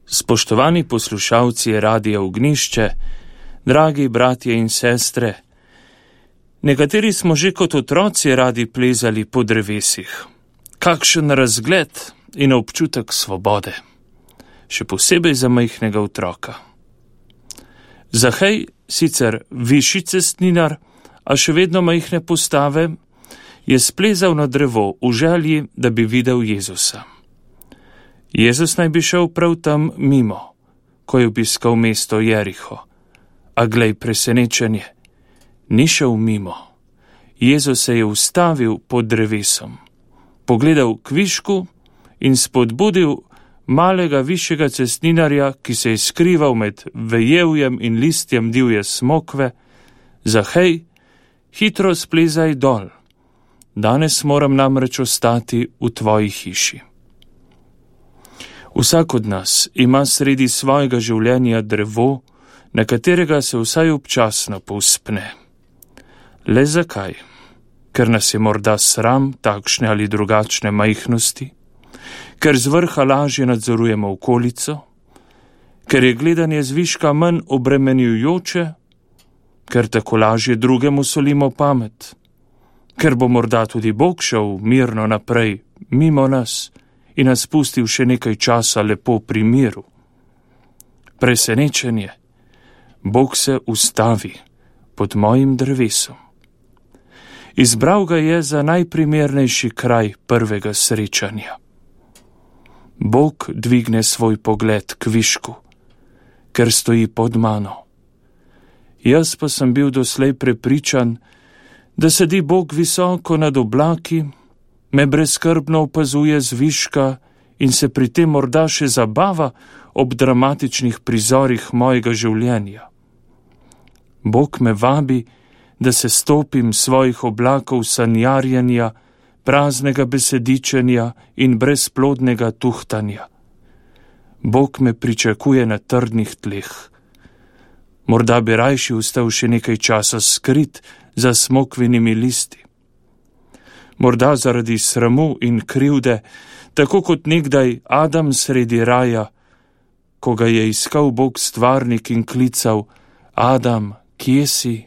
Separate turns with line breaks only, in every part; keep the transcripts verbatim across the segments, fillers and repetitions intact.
Spoštovani poslušalci Radia Ognišče, dragi bratje in sestre, nekateri smo že kot otroci radi plezali po drevesih. Kakšen razgled in občutek svobode, še posebej za majhnega otroka. Zahej, sicer višji cestninar, a še vedno majhne postave, je splezal na drevo v želji, da bi videl Jezusa. Jezus naj bi šel prav tam mimo, ko je obiskal mesto Jeriho. A glej presenečenje, ni šel mimo. Jezus se je ustavil pod drevesom, pogledal kvišku in spodbudil malega višjega cestninarja, ki se je skrival med vejevjem in listjem divje smokve. Zahej, hitro splezaj dol. Danes moram namreč ostati v tvoji hiši. Vsak od nas ima sredi svojega življenja drevo, na katerega se vsaj občasno povzpne. Le zakaj? Ker nas je morda sram takšne ali drugačne majhnosti? Ker z vrha lažje nadzorujemo okolico? Ker je gledanje zviška manj obremenjujoče? Ker tako lažje drugemu solimo pamet? Ker bo morda tudi Bog šel mirno naprej, mimo nas, in nas pustil še nekaj časa lepo pri miru. Presenečenje. Bog se ustavi pod mojim drevesom. Izbral ga je za najprimernejši kraj prvega srečanja. Bog dvigne svoj pogled k višku, ker stoji pod mano. Jaz pa sem bil doslej prepričan, da sedi Bog visoko nad oblaki, me brezskrbno opazuje z viška in se pri tem morda še zabava ob dramatičnih prizorih mojega življenja. Bog me vabi, da se stopim svojih oblakov sanjarjenja, praznega besedičenja in brezplodnega tuhtanja. Bog me pričakuje na trdnih tleh. Morda bi rajši ostal še nekaj časa skrit za smokvinimi listi. Morda zaradi sramu in krivde, tako kot nekdaj Adam sredi raja, ko ga je iskal Bog stvarnik in klical: Adam, kje si?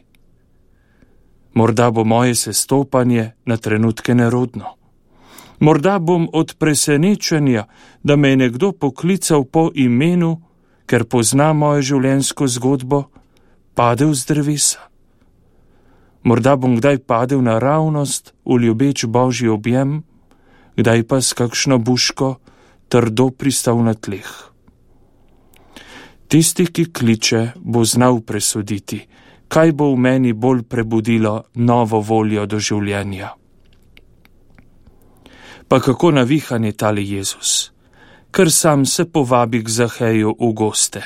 Morda bo moje sestopanje na trenutke nerodno. Morda bom od presenečenja, da me je nekdo poklical po imenu, ker pozna mojo življenjsko zgodbo, padel z drevesa. Morda bom kdaj padel naravnost v ljubeč Božji objem, kdaj pa s kakšno buško trdo pristal na tleh. Tisti, ki kliče, bo znal presoditi, kaj bo v meni bolj prebudilo novo voljo do življenja. Pa kako navihan je tale Jezus, ker sam se povabi k Zaheju v goste.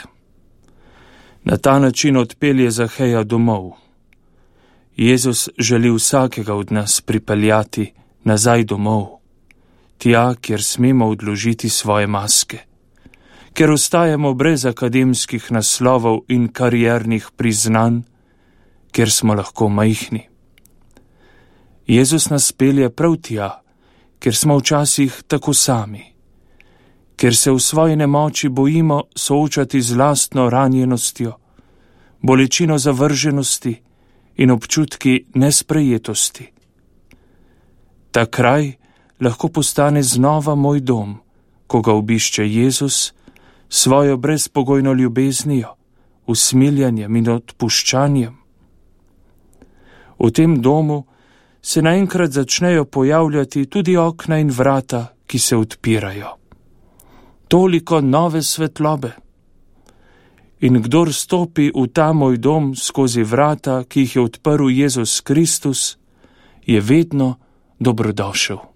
Na ta način odpelje Zaheja domov. Jezus želi vsakega od nas pripeljati nazaj domov, tja, kjer smemo odložiti svoje maske, ker ostajamo brez akademskih naslovov in kariernih priznanj, ker smo lahko majhni. Jezus nas pelje prav tja, ker smo včasih tako sami, ker se v svoji nemoči bojimo soočati z lastno ranjenostjo, bolečino zavrženosti in občutki nesprejetosti. Ta kraj lahko postane znova moj dom, ko ga obišče Jezus svojo brezpogojno ljubeznijo, usmiljanjem in odpuščanjem. V tem domu se naenkrat začnejo pojavljati tudi okna in vrata, ki se odpirajo. Toliko nove svetlobe. In kdor stopi v ta moj dom skozi vrata, ki jih je odprl Jezus Kristus, je vedno dobrodošel.